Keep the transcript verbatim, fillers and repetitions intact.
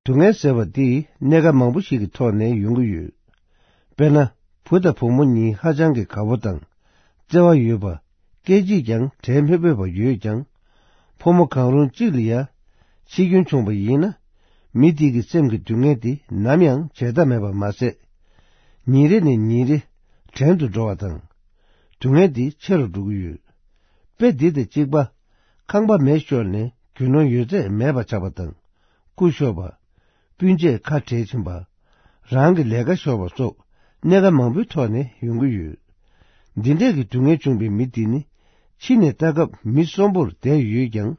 སྡུག་བསྔལ་ཟེར་བ་འདི་གནས་སྐབས་མང་པོ་ཞིག་གི་ཐོག་ནས་ཡོང་གི་ཡོད། དཔེར་ན། བུ་དང་བུ་མོ་གཉིས་ཧ་ཅང་གི་དགའ་པོ་དང་། བརྩེ་བ་ཡོད་པ། སྐད་ཅིག་ཀྱང་བྲལ་མི་ཕོད་པ་ཡོད་ཀྱང་། ཕོ་མོ་གང་རུང་གཅིག་ལ་ཡ། འཆི་སྐྱོན་བྱུང་བ་ཡིན་ན། མི་དེ་གི་སེམས་ཀྱི་སྡུག་བསྔལ་དེ་ནམ་ཡང་བརྗེད་ཐབས་མེད་པ་མ་ཟད། ཉིན་རེ་ནས་ཉིན་རེ་བྲན་དུ་འགྲོ་བ་དང་། སྡུག་བསྔལ་དེ་ཆེ་རུ་འགྲོ་གི་ཡོད། དཔེ་འདི་དང་གཅིག་པ། ཁང་པ་མེ་ཤོར་ནས་རྒྱུ་ནོར་ཡོད་ཚད་མེད་པ་ཆགས་པ་དང་། སྐུ་ཤོར་བ། སྤུན་མཆེད་ཁ་བྲལ་ཕྱིན་པ། རང་གི་ལས་ཀ་ཤོར་བ་སོགས་གནད་འགག་མང་པོའི་ཐོག་ནས་ཡོང་གི་ཡོད། འདི་འདྲས་ཀྱི་སྡུག་བསྔལ་བྱུང་བའི་མི་དེ་ནི། ཕྱི་ནས་ལྟ་སྐབས་མི་གསོན་པོར་བསྡད་ཡོད་ཀྱང་